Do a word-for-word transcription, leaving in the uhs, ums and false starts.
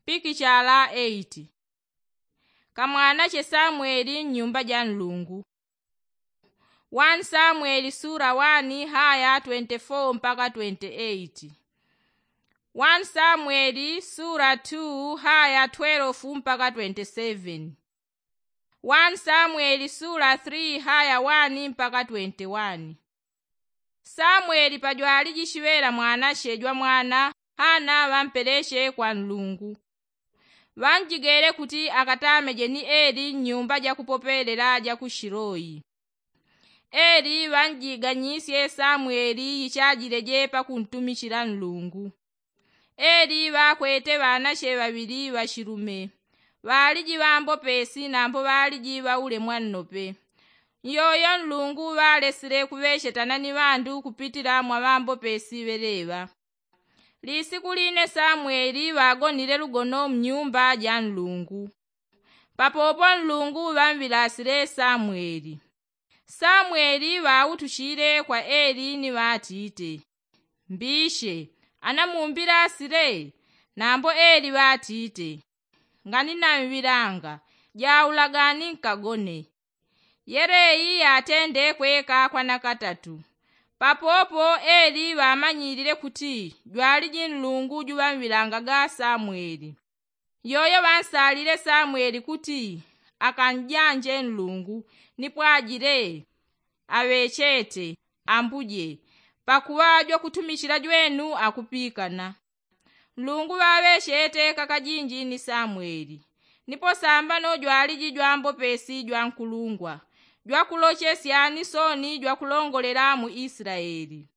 Pikichala eiti. Kamwanache samweli mnyumba ja nlungu. Wani samweli sula wani haya twenti fo mpaka twenti eiti. Wani samweli sula tu haya twelefu mpaka twenti seveni. Wani samweli sula tili haya wani mpaka twenti wani. Samweli pajwaliji shiŵela mwanache jwa mwana hana ŵampeleche kwa nlungu. Ŵanjigele kuti akatameje ni eli mnyumba ja kupopelela ja ku shiloyi. Eli ŵanjiganyisye samweli yichajileje pakuntumichila nlungu. Eli ŵakwete ŵanache ŵaŵili ŵashilume. Ŵaliji ŵambopesi nambo ŵaliji ŵaulemwa nnope. Nyoyo nlungu ŵalesile kuŵechetana ni ŵandu kupitila mwa ŵambopesi ŵeleŵa. Lisiku line samweli ŵagonile lugono mnyumba ja nlungu. Papopo nlungu ŵamŵilasile samweli. Samweli ŵautuchile kwa eli ni ŵatite, mbiche, anamumbilasile? Nambo eli ŵatite, nganinamŵilanga, jaulagani nkagone. Yeleyi yatende kweka kwa nakatatu. Papopo eli ŵamanyilile kuti jwaliji nlungu juŵamŵilangaga samweli. Yoyo ŵansalile samweli kuti akanjanje nlungu, nipo ajile, aŵechete, ambuje, pakuŵa jwakutumichila jwenu akupikana. Nlungu ŵaŵechete kakajinji ni samweli. Nipo sambano jwaliji jwambopesi jwankulungwa, jwakulochesya ni soni jwakulongolela mu isilaeli.